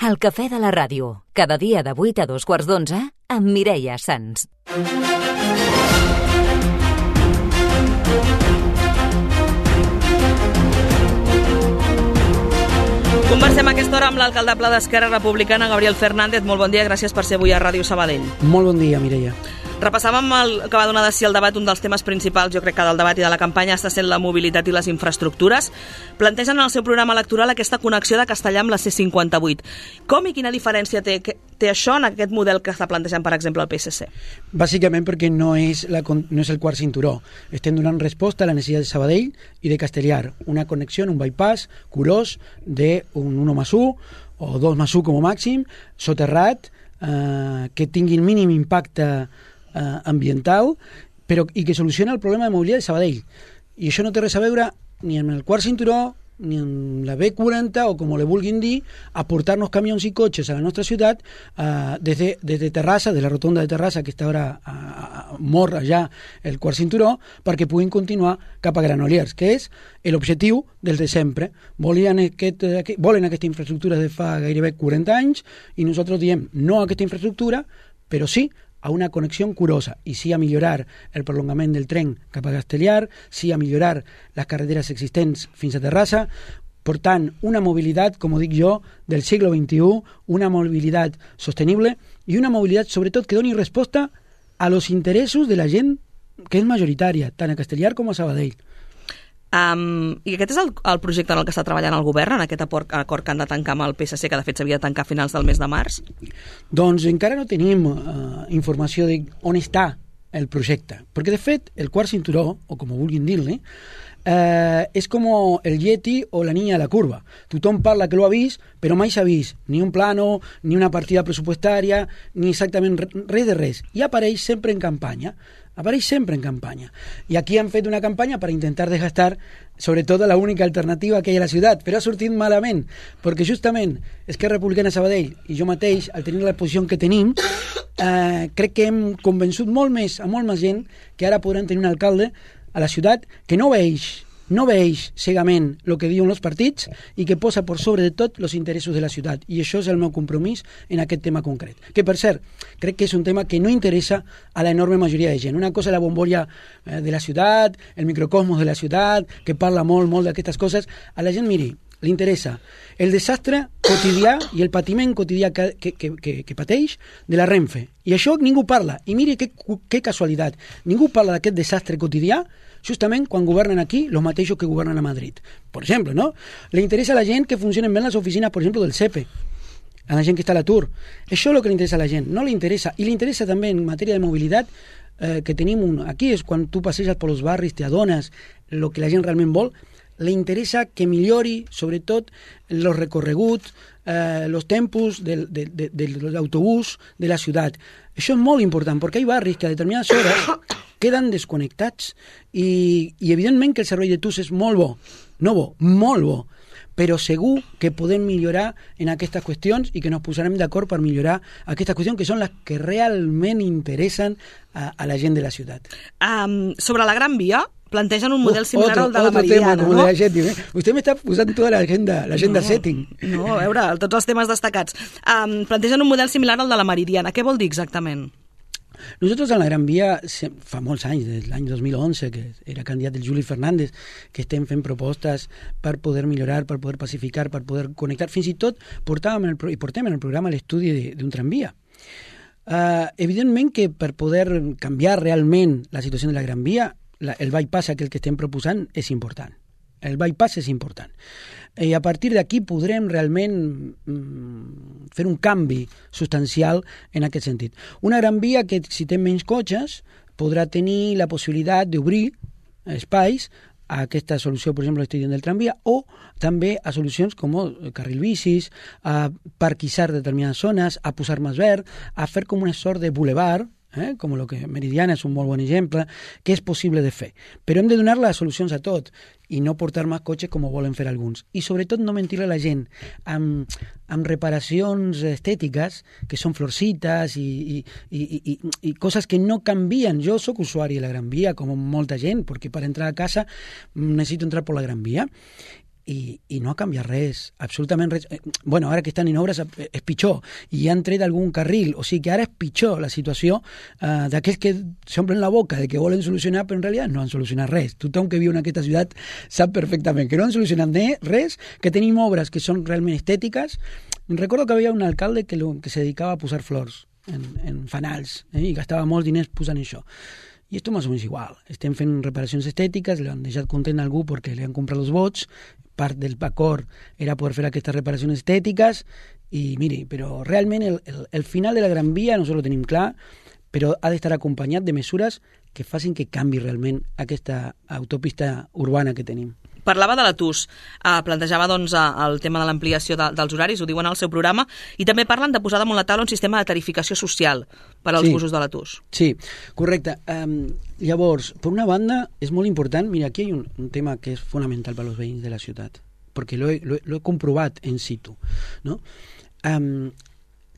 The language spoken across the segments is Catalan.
El cafè de la ràdio, cada dia de 8 a 2:15 amb Mireia Sans. Conversem a aquesta hora amb l'alcaldable d'Esquerra Republicana, Gabriel Fernández. Molt bon dia, gràcies per ser avui a Ràdio Sabadell. Molt bon dia, Mireia. Repassàvem el que va donar de si el debat. Un dels temes principals, jo crec que del debat i de la campanya, està sent la mobilitat i les infraestructures. Plantegen en el seu programa electoral aquesta connexió de Castellar amb la C58. Com i quina diferència té això en aquest model que està plantejant, per exemple, el PSC? Bàsicament perquè no és el quart cinturó. Estem donant resposta a la necessitat de Sabadell i de Castellar. Una connexió, un bypass curós d'un 1+1 o 2+1 com a màxim, soterrat, que tingui el mínim impacte ambiental, però i que soluciona el problema de mobilitat de Sabadell. I això no té res a veure ni amb el quart cinturó, ni amb la B40, o com le vulguin dir, aportar-nos camions i cotxes a la nostra ciutat des de Terrassa, de la rotonda de Terrassa, que està ara mort allà el quart cinturó, perquè puguin continuar cap a Granollers, que és l'objectiu dels de sempre. Volen aquesta infraestructura de fa gairebé 40 anys, i nosaltres diem no a aquesta infraestructura, però sí a una connexió curosa, i sí a millorar el prolongament del tren cap a Castellar, sí a millorar les carreteres existents fins a Terrassa, portant una mobilitat, com ho dic jo, del segle XXI, una mobilitat sostenible i una mobilitat, sobretot, que doni resposta a los interessos de la gent que és majoritària, tant a Castellar com a Sabadell. I aquest és el projecte en el que està treballant el govern, en aquest acord que han de tancar amb el PSC, que de fet s'havia de tancar a finals del mes de març? Doncs encara no tenim informació de on està el projecte, perquè de fet el quart cinturó, o com ho vulguin dir-li, és com el Yeti o la niña de la curva. Tothom parla que l'ho ha vist, però mai s'ha vist ni un plano, ni una partida pressupostària, ni exactament res de res. I apareix sempre en campanya. I aquí han fet una campanya per intentar desgastar sobretot la única alternativa que hi ha a la ciutat, però ha sortit malament, perquè justament Esquerra Republicana Sabadell i jo mateix, al tenir la posició que tenim, crec que hem convençut molt més gent que ara podran tenir un alcalde a la ciutat que no veeix cegament el que diuen els partits i que posa per sobre de tot els interessos de la ciutat. I això és el meu compromís en aquest tema concret. Que, per cert, crec que és un tema que no interessa a l'enorme majoria de gent. Una cosa és la bombolla de la ciutat, el microcosmos de la ciutat, que parla molt d'aquestes coses. A la gent, miri, li interessa el desastre quotidià i el patiment quotidià que pateix de la Renfe. I això ningú parla. I miri que casualitat. Ningú parla d'aquest desastre quotidià justament quan governen aquí els mateixos que governen a Madrid. Per exemple, ¿no? Le interessa a la gent que funcionen bé les oficines, per exemple, del SEPE, a la gent que està a l'atur. Això és el que li interessa a la gent, no li interessa. I li interessa també en matèria de mobilitat que tenim aquí, és quan tu passeges per els barris, t'adones el que la gent realment vol. Le interessa que millori, sobretot, els recorreguts, els tempos de l'autobús de la ciutat. Això és molt important, perquè hi ha barris que a determinades hores queden desconnectats i evidentment que el servei de TUS és molt bo, però segur que podem millorar en aquestes qüestions i que ens posarem d'acord per millorar aquestes qüestions que són les que realment interessen a la gent de la ciutat. Sobre la Gran Via, plantegen un model similar al de la Meridiana, tema, ¿no? Usted me está posant tota l'agenda setting. No, a veure, tots els temes destacats. Plantegen un model similar al de la Meridiana. Què vol dir exactament? Nosotros en la Gran Via, fa molts anys, des de l'any 2011, que era candidat el Juli Fernández, que estem fent propostes per poder millorar, per poder pacificar, per poder connectar. Fins i tot portem en el programa l'estudi d'un tramvia. Evidentment que per poder canviar realment la situació de la Gran Via, el bypass aquell que estem proposant és important. El bypass és important. I a partir d'aquí podrem realment fer un canvi substancial en aquest sentit. Una Gran Via que, si té menys cotxes, podrà tenir la possibilitat d'obrir espais a aquesta solució, per exemple, l'estic dient del tramvia, o també a solucions com el carril bicis, a parquisar determinades zones, a posar més verd, a fer com una sort de boulevard, com el que Meridiana és un molt bon exemple, que és possible de fer. Però hem de donar les solucions a tot i no portar més cotxes com ho volen fer alguns. I sobretot no mentir a la gent amb reparacions estètiques que són florcites i coses que no canvien. Jo sóc usuari de la Gran Via, com molta gent, perquè per entrar a casa necessito entrar per la Gran Via. i no ha canviat res, absolutament res. Bueno, ara que estan en obres és pitjor, i han tret algun carril, o sigui que ara és pitjor la situació d'aquells que s'omplen la boca de que volen solucionar, però en realitat no han solucionat res. Tothom que viu en aquesta ciutat sap perfectament que no han solucionat res, que tenim obres que són realment estètiques. Recordo que havia un alcalde que se dedicava a posar flors en fanals, i gastava molts diners posant això. I esto más o menos igual. Estem fent reparacions estètiques, li han deixat content a algú perquè li han comprat els vots, part del acord era poder fer aquestes reparacions estètiques, i miri, però realment el final de la Gran Via nosaltres lo tenim clar, però ha d'estar acompanyat de mesures que facin que canvi realment aquesta autopista urbana que tenim. Parlava de la TUS, plantejava doncs, el tema de l'ampliació dels horaris, ho diuen al seu programa, i també parlen de posar damunt la taula un sistema de tarificació social per als busos de la TUS. Sí, correcte. Llavors, per una banda, és molt important, mira, aquí hi ha un tema que és fonamental per als veïns de la ciutat, perquè lo he comprovat en situ, no?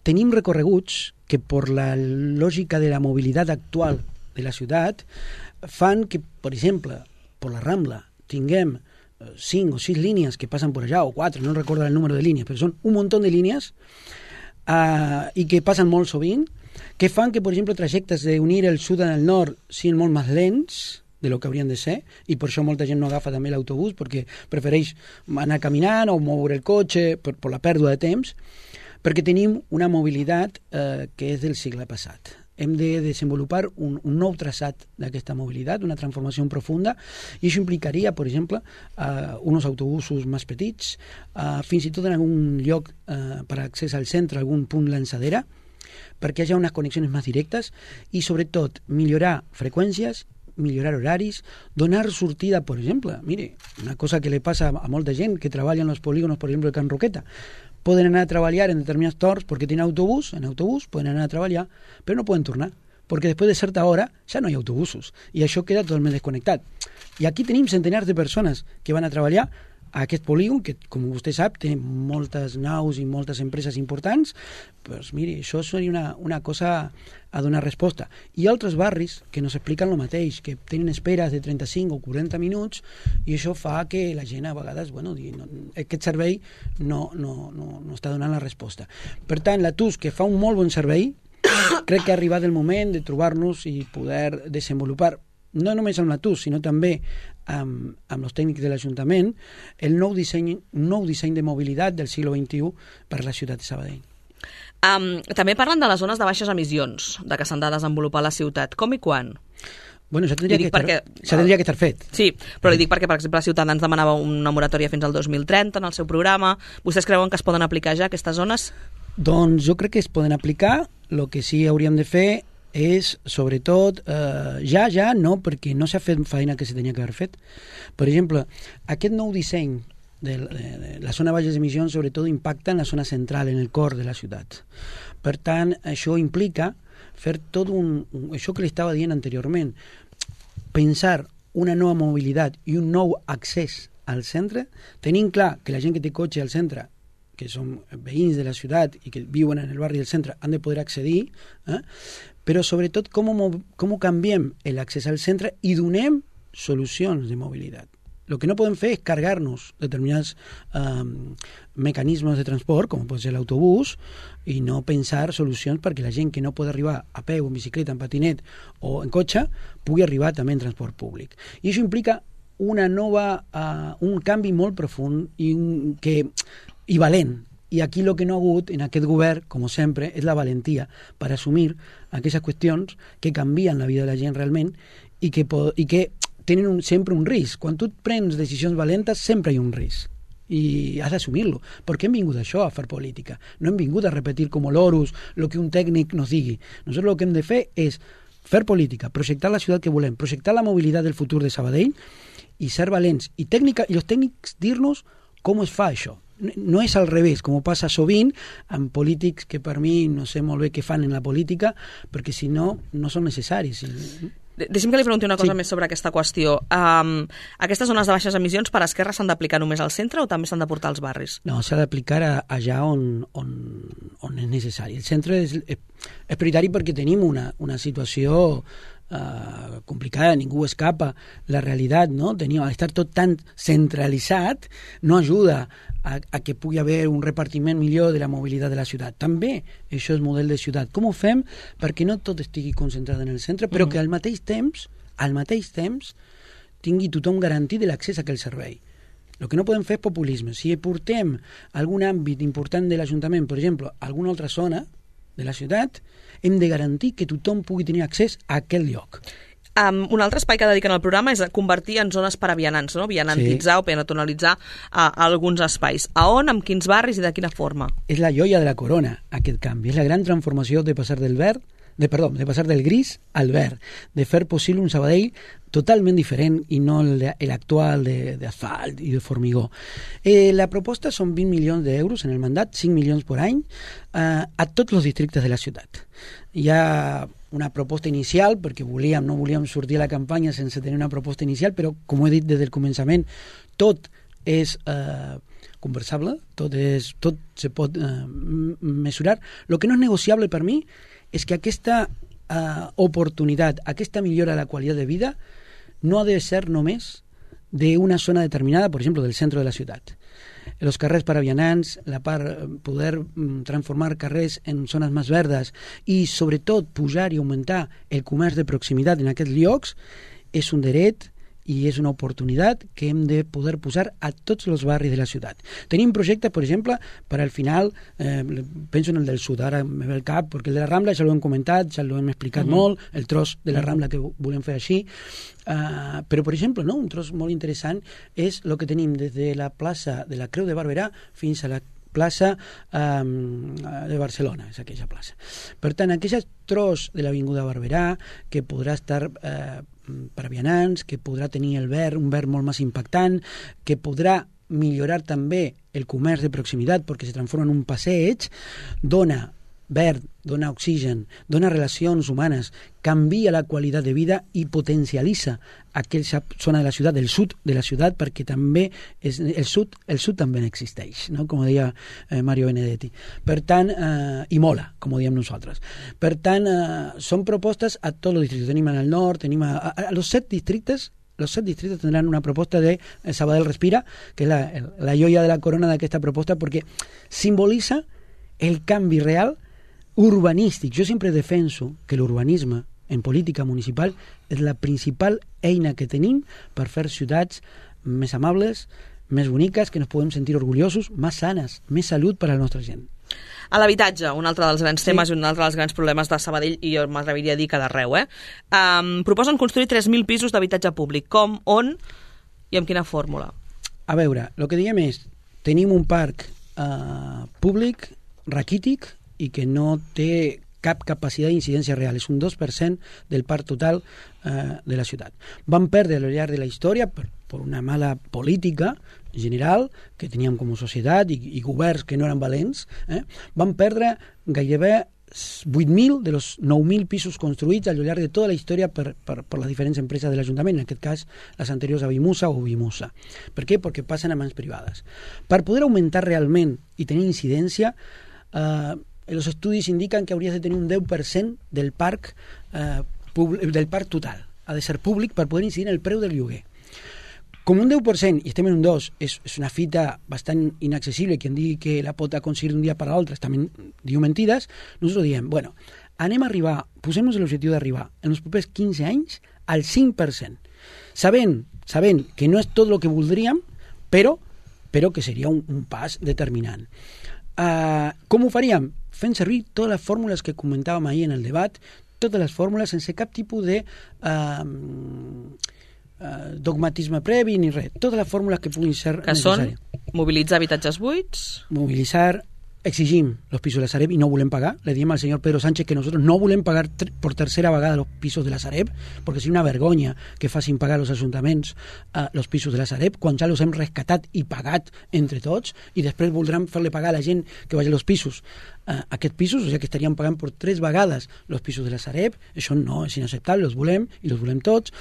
Tenim recorreguts que per la lògica de la mobilitat actual de la ciutat fan que, per exemple, per la Rambla tinguem 5 o 6 línies que passen per allà, o 4, no recordo el número de línies, però són un munt de línies i que passen molt sovint, que fan que, per exemple, trajectes d'unir el sud al nord siguin molt més lents de lo que haurien de ser, i per això molta gent no agafa també l'autobús, perquè prefereix anar caminant o moure el cotxe per la pèrdua de temps, perquè tenim una mobilitat que és del segle passat. Hem de desenvolupar un nou traçat d'aquesta mobilitat, una transformació profunda, i això implicaria, per exemple, uns autobusos més petits, fins i tot en algun lloc per accés al centre, algun punt lançadera, perquè hi hagi unes connexions més directes i, sobretot, millorar freqüències, millorar horaris, donar sortida, per exemple. Mire, una cosa que li passa a molta gent que treballa en els polígonos, per exemple, de Can Roqueta, poden anar a treballar en determinats torns perquè tenen autobús, en autobús poden anar a treballar, però no poden tornar, perquè després de certa hora ja no hi ha autobusos, i això queda totalment desconnectat. I aquí tenim centenars de persones que van a treballar a aquest polígon, que, com vostè sap, té moltes naus i moltes empreses importants. Doncs miri, això seria una cosa a donar resposta. I altres barris que nos expliquen el mateix, que tenen esperes de 35 o 40 minuts, i això fa que la gent a vegades, bueno, aquest servei no està donant la resposta. Per tant, la TUS, que fa un molt bon servei, crec que ha arribat el moment de trobar-nos i poder desenvolupar, no només amb la TUS, sinó també amb els tècnics de l'Ajuntament, un nou disseny de mobilitat del segle XXI per la ciutat de Sabadell. També parlen de les zones de baixes emissions, de que s'han de desenvolupar a la ciutat. Com i quan? Bueno, això tindria que estar fet. Sí, però li dic perquè, per exemple, Ciutadans demanava una moratòria fins al 2030 en el seu programa. Vostès creuen que es poden aplicar ja aquestes zones? Doncs jo crec que es poden aplicar. El que sí hauríem de fer és, sobretot, ja no, perquè no s'ha fet feina que se tenia que haver fet. Per exemple, aquest nou disseny de la zona de baixes emissions, sobretot, impacta en la zona central, en el cor de la ciutat. Per tant, això implica fer tot això que li estava dient anteriorment, pensar una nova mobilitat i un nou accés al centre, tenint clar que la gent que té cotxe al centre, que són veïns de la ciutat i que viuen en el barri del centre, han de poder accedir, però sobretot com canviem l'accés al centre i donem solucions de mobilitat. El que no podem fer és carregar-nos determinats mecanismes de transport, com pot ser l'autobús, i no pensar solucions perquè la gent que no pot arribar a peu, en bicicleta, en patinet o en cotxe, pugui arribar també en transport públic. I això implica un canvi molt profund i valent. I aquí el que no ha hagut en aquest govern, com sempre, és la valentia per assumir aquestes qüestions que canvien la vida de la gent realment i que tenen sempre un risc. Quan tu prens decisions valentes, sempre hi ha un risc. I has d'assumir-lo. Perquè hem vingut a això, a fer política. No hem vingut a repetir com l'orus el que un tècnic nos digui. Nosaltres el que hem de fer és fer política, projectar la ciutat que volem, projectar la mobilitat del futur de Sabadell i ser valents. I els tècnics dir-nos com es fa això. No és al revés, com passa sovint amb polítics que per mi no sé molt bé què fan en la política, perquè si no, no són necessaris. Deixi'm que li pregunti una cosa més sobre aquesta qüestió. Aquestes zones de baixes emissions per Esquerra s'han d'aplicar només al centre o també s'han de portar als barris? No, s'ha d'aplicar allà on és necessari. El centre és prioritari perquè tenim una situació complicada, ningú escapa la realitat, no? Al estar tot tan centralitzat no ajuda a que pugui haver un repartiment millor de la mobilitat de la ciutat. També això és model de ciutat. Com ho fem perquè no tot estigui concentrat en el centre, però que al mateix temps tingui tothom garantit l'accés a aquell servei. El que no podem fer és populisme. Si portem algun àmbit important de l'Ajuntament, per exemple, a alguna altra zona de la ciutat, hem de garantir que tothom pugui tenir accés a aquell lloc. Un altre espai que dediquen al programa és convertir en zones per a vianants, no? Vianantitzar o peatonalitzar alguns espais. A on, amb quins barris i de quina forma? És la joia de la corona, aquest canvi. És la gran transformació de passar del passar del gris al verd, de fer possible un Sabadell totalment diferent i no l'actual d'asfalt i de formigó. La proposta són 20 milions d'euros en el mandat, 5 milions per any, a tots els districtes de la ciutat. Hi ha una proposta inicial, perquè no volíem sortir a la campanya sense tenir una proposta inicial, però, com he dit des del començament, tot és conversable, tot se pot mesurar. El que no és negociable per mi és que aquesta oportunitat, aquesta millora de la qualitat de vida no ha de ser només d'una zona determinada, per exemple, del centre de la ciutat. Els carrers per a vianants, poder transformar carrers en zones més verdes i, sobretot, pujar i augmentar el comerç de proximitat en aquests llocs és un dret i és una oportunitat que hem de poder posar a tots els barris de la ciutat. Tenim projectes, per exemple, per al final, penso en el del sud, ara me ve el cap, perquè el de la Rambla ja l'hem comentat, ja l'hem explicat molt, el tros de la Rambla que volem fer així, però, per exemple, un tros molt interessant és el que tenim des de la plaça de la Creu de Barberà fins a la plaça de Barcelona, és aquella plaça. Per tant, aquest tros de l'Avinguda Barberà, que podrà estar per a vianants, que podrà tenir un verd molt més impactant, que podrà millorar també el comerç de proximitat perquè se transforma en un passeig, dona verd, dona oxigen, dona relacions humanes, canvia la qualitat de vida i potencialitza aquella zona de la ciutat, el sud de la ciutat, perquè també el sud també existeix, no? Com deia Mario Benedetti. Per tant, i mola, com diem nosaltres. Per tant, són propostes a tots els districtes. Tenim al nord, tenim a los 7 districtes. Los 7 distritos tendrán una propuesta de Sabadell Respira, que es la joia de la corona d'aquesta proposta, perquè simbolitza el canvi real urbanístic. Jo sempre defenso que l'urbanisme en política municipal és la principal eina que tenim per fer ciutats més amables, més boniques, que ens podem sentir orgullosos, més sanes, més salut per a la nostra gent. A l'habitatge, un altre dels grans temes i un altre dels grans problemes de Sabadell, i jo m'atreviria a dir que d'arreu. Proposen construir 3.000 pisos d'habitatge públic. Com, on i amb quina fórmula? A veure, el que diem és, tenim un parc públic raquític i que no té cap capacitat d'incidència real. És un 2% del parc total de la ciutat. Van perdre al llarg de la història per una mala política general que teníem com a societat i governs que no eren valents, van perdre gairebé 8.000 de los 9.000 pisos construïts al llarg de tota la història per les diferents empreses de l'Ajuntament, en aquest cas les anteriors a Vimusa o Vimusa. Per què? Perquè passen a mans privades. Per poder augmentar realment i tenir incidència, els estudis indiquen que hauries de tenir un 10% del parc total. Ha de ser públic per poder incidir en el preu del lloguer. Com un 10%, i estem en un 2%, és una fita bastant inaccessible, qui en digui que la pot aconseguir d'un dia per l'altre, també diu mentides, nosaltres diem, anem a arribar, posem-nos l'objectiu d'arribar en els propers 15 anys al 5%, sabent que no és tot el que voldríem, però que seria un pas determinant. Com ho faríem? Fent servir totes les fórmules que comentàvem ahir en el debat, totes les fórmules sense cap tipus de dogmatisme previ ni res. Totes les fórmules que puguin ser necessàries. Que són mobilitzar habitatges buits? Mobilitzar, exigim los pisos de la Sareb y no volem pagar. Le diem al señor Pedro Sánchez que nosotros no volem pagar por tercera vegada los pisos de la Sareb, porque seria una vergonya que facin pagar los ajuntaments los pisos de la Sareb, quan ja los hem rescatat i pagat entre tots, i després voldran fer-li pagar a la gent que vagi als pisos aquests pisos, o sigui que estaríem pagant per 3 vegades los pisos de la Sareb. Això no és inacceptable, els volem i els volem tots.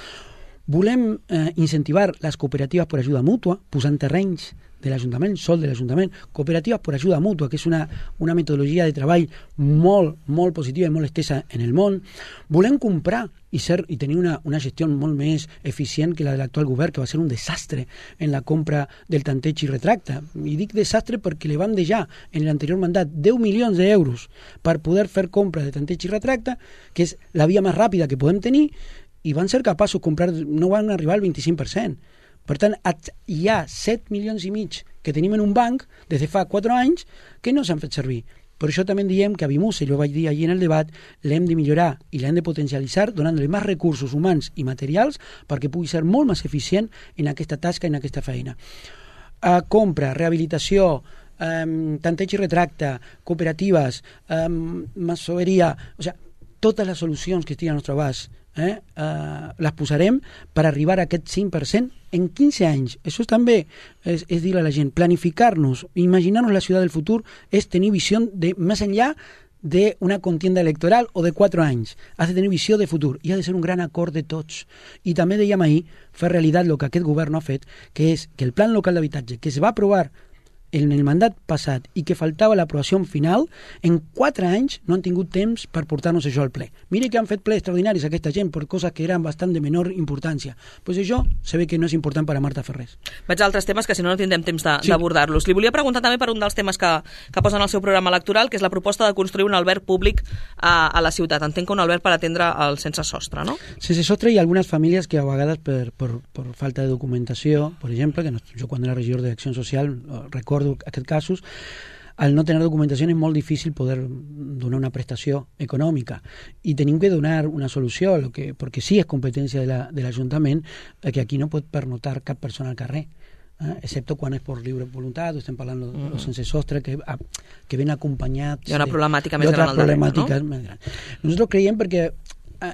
Volem incentivar les cooperatives per ajuda mútua, posant terrenys de l'Ajuntament, sol de l'Ajuntament, cooperatives per ajuda mútua, que és una metodologia de treball molt positiva i molt estesa en el món. Volem comprar i tenir una gestió molt més eficient que la de l'actual govern, que va ser un desastre en la compra del tanteig i retracte. I dic desastre perquè li vam deixar en l'anterior mandat 10 milions d'euros per poder fer compra de tanteig i retracte, que és la via més ràpida que podem tenir, i van ser capaços de comprar, no van arribar al 25%. Per tant, hi ha 7 milions i mig que tenim en un banc des de fa 4 anys que no s'han fet servir. Per això també diem que a Vimusa, i ho vaig dir allí en el debat, l'hem de millorar i l'hem de potencialitzar donant-li més recursos humans i materials perquè pugui ser molt més eficient en aquesta tasca i en aquesta feina. Compra, rehabilitació, tanteig i retracte, cooperatives, masoveria, o sigui, totes les solucions que estiguen al nostre abast les posarem per arribar a aquest 5% en 15 anys. Això també és dir a la gent, planificar-nos, imaginar-nos la ciutat del futur és tenir visió de més enllà d'una contienda electoral o de 4 anys. Has de tenir visió de futur i ha de ser un gran acord de tots. I també dèiem ahir, fer realitat el que aquest govern no ha fet, que és que el plan local d'habitatge que es va aprovar en el mandat passat i que faltava l'aprovació final, en 4 anys no han tingut temps per portar-nos això al ple. Mire que han fet ple extraordinaris aquesta gent per coses que eren bastant de menor importància. Pues això se ve que no és important per a Marta Ferrés. Vaig a altres temes que si no tindrem temps d'abordar-los. Li volia preguntar també per un dels temes que posen al seu programa electoral, que és la proposta de construir un alberg públic a la ciutat. Entenc que un alberg per atendre el sense sostre, no? Sense sostre hi ha algunes famílies que a vegades per falta de documentació, per exemple, que jo quan era regidor d'Acció Social recordo aquests casos, al no tenir documentació és molt difícil poder donar una prestació econòmica i tenim que donar una solució perquè sí és competència de l'Ajuntament que aquí no pot pernotar cap persona al carrer, excepto quan és per lliure voluntat, estem parlant de sense sostre que ven acompanyats hi ha una problemàtica més gran al darrere, no? Nosaltres creiem perquè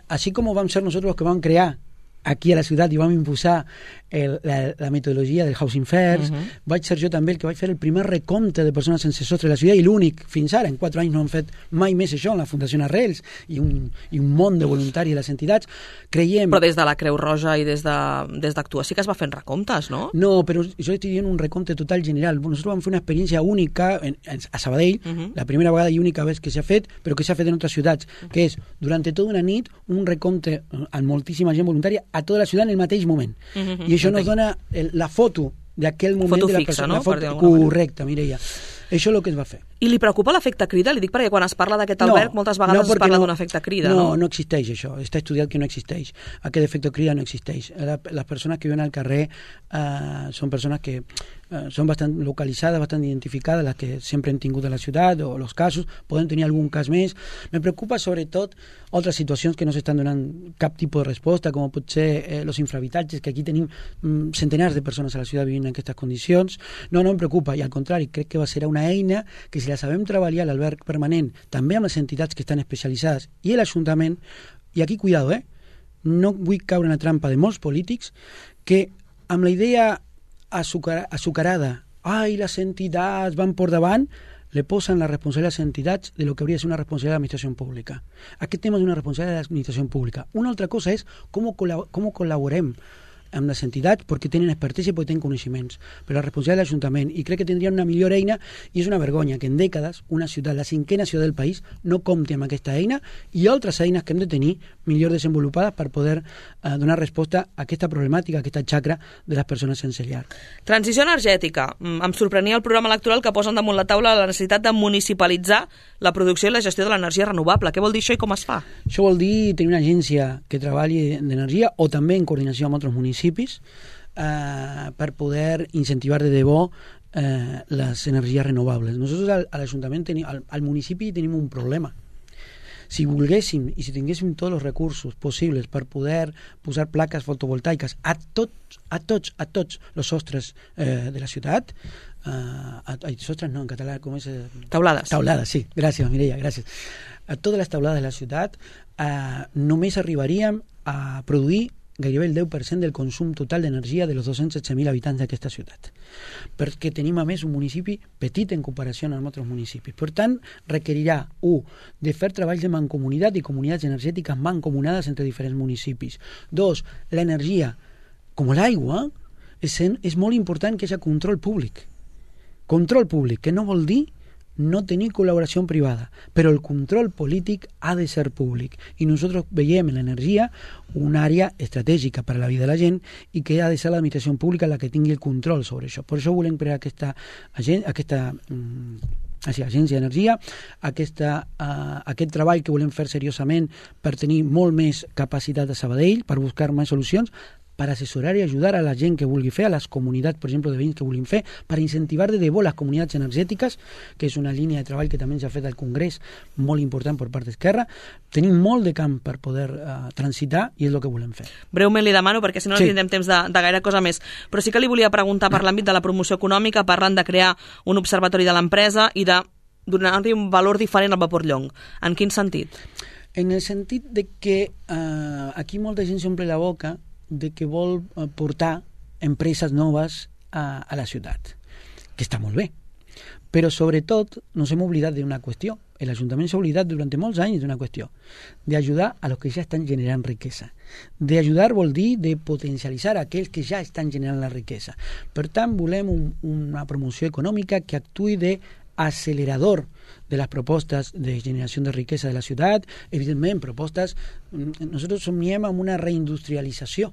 així com vam ser nosaltres que vam crear aquí a la ciutat i vam imposar la metodologia del Housing First, vaig ser jo també el que vaig fer el primer recompte de persones sense sostre de la ciutat i l'únic fins ara, en 4 anys no han fet mai més això en la Fundació Arrels i un món de voluntaris de les entitats. Creiem... Però des de la Creu Roja i des d'Actua sí que es va fent recomptes, no? No, però jo estic dient un recompte total general. Nosaltres vam fer una experiència única a Sabadell, la primera vegada i única vegada que s'ha fet, però que s'ha fet en altres ciutats, que és, durant tota una nit, un recompte amb moltíssima gent voluntària a tota la ciutat en el mateix moment. I això nos dona la foto d'aquell moment foto de la fixa, persona. No? Foto, correcte, Mireia. Això és el que es va fer. I li preocupa l'efecte crida? Li dic perquè quan es parla d'aquest alberg moltes vegades es parla d'un efecte crida. No existeix això. Està estudiat que no existeix. Aquest efecte crida no existeix. Les persones que viuen al carrer són persones que són bastant localitzades, bastant identificades, les que sempre hem tingut a la ciutat, o els casos, poden tenir algun cas més. Me preocupa sobretot altres situacions que no s'estan donant cap tipus de resposta, com pot ser els infrahabitatges, que aquí tenim centenars de persones a la ciutat vivint en aquestes condicions. No em preocupa, i al contrari, crec que va ser una eina que si la sabem treballar a l'alberg permanent, també amb les entitats que estan especialitzades i l'Ajuntament, i aquí cuidado, no vull caure en la trampa de molts polítics que amb la idea azucarada, les entitats van por davant, le posen la responsabilitat a les entitats de lo que hauria de ser una responsabilitat de l'administració pública. Aquest tema és una responsabilitat de l'administració pública. Una altra cosa és com col·laborem amb les entitats perquè tenen expertesa i perquè tenen coneixements, però la responsabilitat de l'Ajuntament, i crec que tindrien una millor eina, i és una vergonya que en dècades una ciutat, la 5ª ciutat del país, no compti amb aquesta eina i altres eines que hem de tenir millor desenvolupades per poder donar resposta a aquesta problemàtica, a aquesta xacra de les persones sense llar. Transició energètica. Em sorprenia el programa electoral que posen damunt la taula la necessitat de municipalitzar la producció i la gestió de l'energia renovable. Què vol dir això i com es fa? Això vol dir tenir una agència que treballi d'energia o també en coordinació amb altres municipis per poder incentivar de debò les energies renovables. Nosaltres a l'Ajuntament, al municipi tenim un problema. Si volguéssim i si tinguéssim tots els recursos possibles per poder posar plaques fotovoltaiques a tots els sostres de la ciutat, sostres no, en català com és? Taulades. Taulades, sí. Gràcies, Mireia, gràcies. A totes les taulades de la ciutat només arribaríem a produir gairebé el 10% del consum total d'energia de los 216.000 habitants d'aquesta ciutat. Perquè tenim, a més, un municipi petit en comparació amb altres municipis. Per tant, requerirà, de fer treballs de mancomunitat i comunitats energètiques mancomunades entre diferents municipis. 2, l'energia, com l'aigua, és molt important que hi hagi control públic Control públic, que no vol dir no tenir col·laboració privada, però el control polític ha de ser públic i nosaltres veiem en l'energia una àrea estratègica per a la vida de la gent i que ha de ser l'administració pública la que tingui el control sobre això. Per això volem crear aquesta agència d'energia, aquest treball que volem fer seriosament per tenir molt més capacitat a Sabadell, per buscar més solucions, per assessorar i ajudar a la gent que vulgui fer, a les comunitats, per exemple, de veïns que vulguin fer, per incentivar de debò les comunitats energètiques, que és una línia de treball que també s'ha fet al Congrés, molt important per part d'Esquerra. Tenim molt de camp per poder transitar i és el que volem fer. Breument li demano, perquè si no tindrem temps de gaire cosa més, però sí que li volia preguntar per l'àmbit de la promoció econòmica, parlant de crear un observatori de l'empresa i de donar-li un valor diferent al vapor Llong. En quin sentit? En el sentit de que aquí molta gent s'omple la boca de que vol portar empreses noves a la ciutat, que està molt bé. Però sobretot nos hem oblidat d'una qüestió. L'Ajuntament s'ha oblidat durant molts anys d'una qüestió, d'ajudar a los que ja estan generant riquesa. D'ajudar vol dir de potencialitzar aquells que ja estan generant la riquesa. Per tant, volem una promoció econòmica que actuï d'acelerador de las propostes de generació de riquesa de la ciutat, evidentment propostes, nosaltres somiem amb una reindustrialització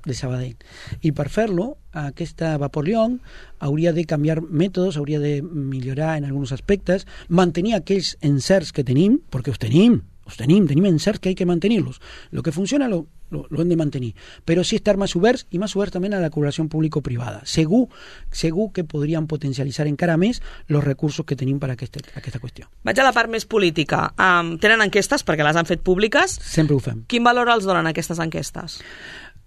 de Sabadell. I per fer-lo, aquesta Vapor Llong hauria de canviar mètodes, hauria de millorar en alguns aspectes, mantenir aquells encerts que tenim, perquè els tenim encerts que hay que mantenir-los. Lo que funciona lo hem de mantenir, però sí estar més oberts i més oberts també a la col·laboració público-privada. Segur que podríem potencialitzar encara més els recursos que tenim per a aquesta qüestió. Vaig a la part més política. Tenen enquestes, perquè les han fet públiques. Sempre ho fem. Quin valor els donen aquestes enquestes?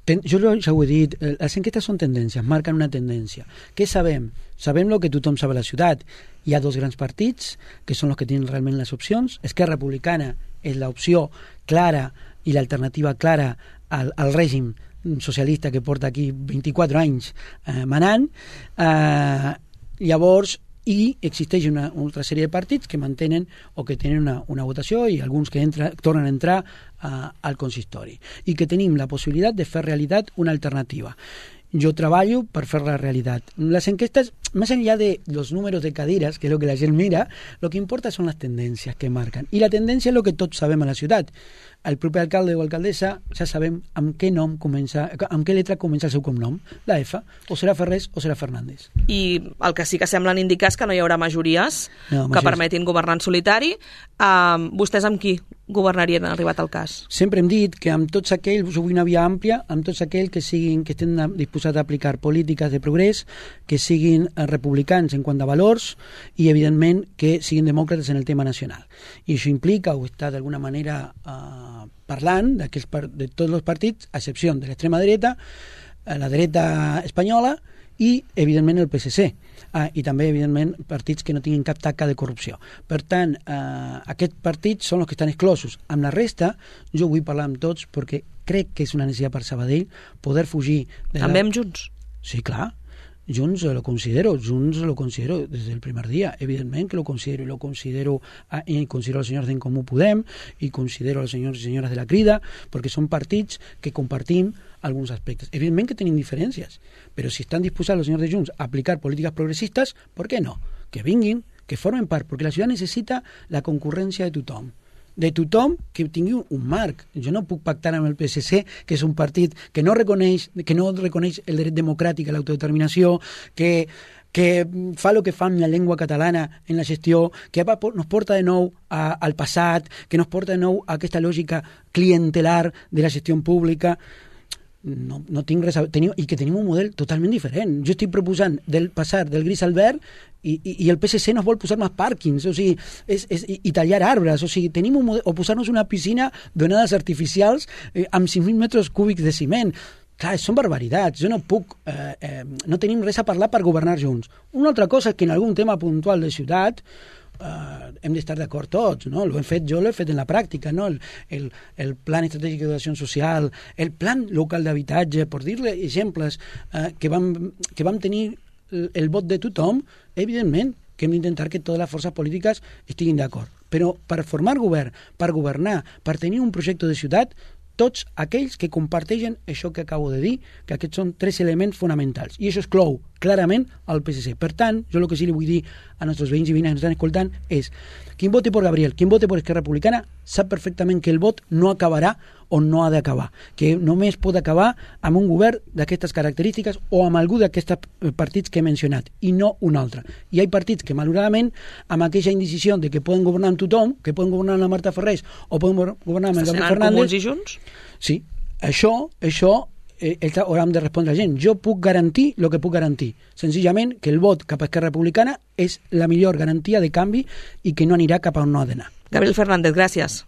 Jo ja ho he dit, les enquestes són tendències, marquen una tendència. Què sabem? Sabem el que tothom sap a la ciutat. Hi ha dos grans partits, que són els que tenen realment les opcions. Esquerra Republicana és l'opció clara i l'alternativa clara al règim socialista que porta aquí 24 anys manant. Llavors, i existeix una altra sèrie de partits que mantenen o que tenen una votació i alguns que tornen a entrar al consistori i que tenim la possibilitat de fer realitat una alternativa. Jo treballo per fer la realitat. Les enquestes, més enllà de los números de cadires, que és el que la gent mira, el que importa són les tendències que marquen. I la tendència és el que tots sabem a la ciutat. El proper alcalde o alcaldessa ja sabem amb què lletra comença el seu cognom, la F, o serà Ferrés o serà Fernández. I el que sí que semblen indicar és que no hi haurà majories que permetin governar en solitari. Vostès amb qui governarien arribat al cas? Sempre hem dit que amb tots aquells, vull una via àmplia, amb tots aquells que estén disposats a aplicar polítiques de progrés, que siguin republicans en quant a valors i, evidentment, que siguin demòcrates en el tema nacional. I això implica, o està d'alguna manera parlant de tots els partits, a excepció de l'extrema dreta, la dreta espanyola i, evidentment, el PSC. I també, evidentment, partits que no tinguin cap taca de corrupció. Per tant, aquests partits són els que estan exclosos. Amb la resta, jo vull parlar amb tots perquè crec que és una necessitat per Sabadell poder fugir... També amb Junts? Sí, clar. Junts lo considero desde el primer día, evidentemente que lo considero, y considero a los señores d'en Comú Podem y considero a los señors i senyores de la Crida, perquè són partits que compartim alguns aspectes. Evidentment que tenim diferències, però si estan disposats els senyors de Junts a aplicar polítiques progressistes, ¿por qué no? Que vinguin, que formen part, perquè la ciutat necessita la concurrència de tothom. De tothom que tingui un marc. Jo no puc pactar amb el PSC, que és un partit que no reconeix el dret democràtic a l'autodeterminació, que fa el que fa amb la llengua catalana en la gestió, que nos porta de nou al passat, que nos porta de nou a aquesta lògica clientelar de la gestió pública. No tinc res a... I que tenim un model totalment diferent. Jo estic proposant passar del gris al verd i el PSC nos vol posar més pàrquings, o sigui, i tallar arbres, o sigui, tenim un model, o posar-nos una piscina d'onades artificials amb 5.000 metres cúbics de ciment. Clar, són barbaritats. Jo no puc... no tenim res a parlar per governar junts. Una altra cosa és que en algun tema puntual de ciutat hem d'estar d'acord tots, no? Jo l'he fet en la pràctica, no? El Plan Estratègic d'Acció Social, el Plan Local d'Habitatge, per dir-li exemples que vam tenir el vot de tothom, evidentment que hem d'intentar que totes les forces polítiques estiguin d'acord. Però per formar govern, per governar, per tenir un projecte de ciutat, tots aquells que comparteixen això que acabo de dir, que aquests són 3 elements fonamentals. I això exclou clarament el PSC. Per tant, jo el que sí li vull dir a nostres veïns i veïnes que ens estan escoltant és quien vote por Gabriel, quien vote por Esquerra Republicana, sap perfectament que el vot no acabarà on no ha d'acabar, que només pot acabar amb un govern d'aquestes característiques o amb algú d'aquests partits que he mencionat, i no un altre. I hi ha partits que, malauradament, amb aquesta indecisió de que poden governar amb tothom, que poden governar amb la Marta Ferrés o poden governar amb el Gabriel Fernández... Comuns i Junts? Sí, això hauran de respondre la gent. Jo puc garantir el que puc garantir. Senzillament que el vot cap a Esquerra Republicana és la millor garantia de canvi i que no anirà cap a on no ha d'anar. Gabriel Fernández, gràcies.